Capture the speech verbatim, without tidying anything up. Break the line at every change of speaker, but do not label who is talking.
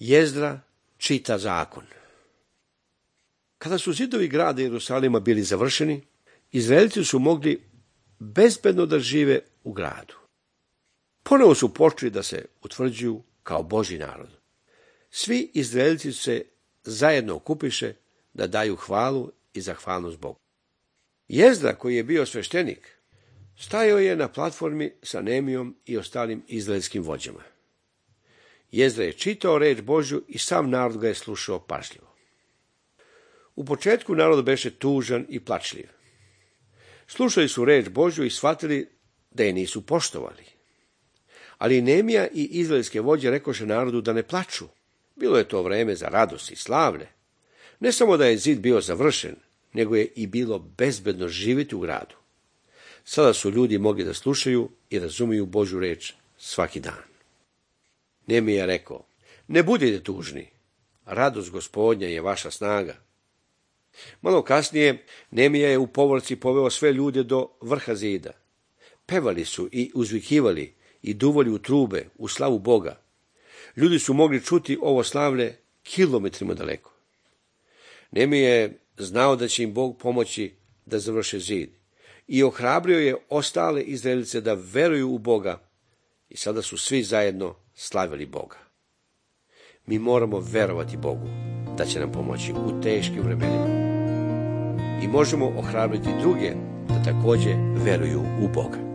Jezdra čita zakon. Kada su zidovi grada Jerusalima bili završeni, Izraelci su mogli bezbedno da žive u gradu. Ponovo su počeli da se utvrđuju kao Božji narod. Svi Izraelci se zajedno okupiše da daju hvalu i zahvalnost Bogu. Jezdra, koji je bio sveštenik, stajao je na platformi sa Nehemijom i ostalim izraelskim vođama. Jezdra je čitao reč Božju i sam narod ga je slušao pažljivo. U početku narod beše tužan i plačljiv. Slušali su reč Božju i shvatili da je nisu poštovali. Ali Nehemija i izraelske vođe rekoše narodu da ne plaču. Bilo je to vreme za radost i slavlje. Ne samo da je zid bio završen, nego je i bilo bezbedno živjeti u gradu. Sada su ljudi mogli da slušaju i razumiju Božju reč svaki dan. Nehemija je rekao, ne budite tužni, radost Gospodnja je vaša snaga. Malo kasnije Nehemija je u povorci poveo sve ljude do vrha zida. Pevali su i uzvikivali i duvali u trube u slavu Boga. Ljudi su mogli čuti ovo slavlje kilometrima daleko. Nehemija je znao da će im Bog pomoći da završe zid i ohrabrio je ostale Izraelce da veruju u Boga i sada su svi zajedno slavili Boga. Mi moramo verovati Bogu da će nam pomoći u teškim vremenima i možemo ohrabriti druge da također veruju u Boga.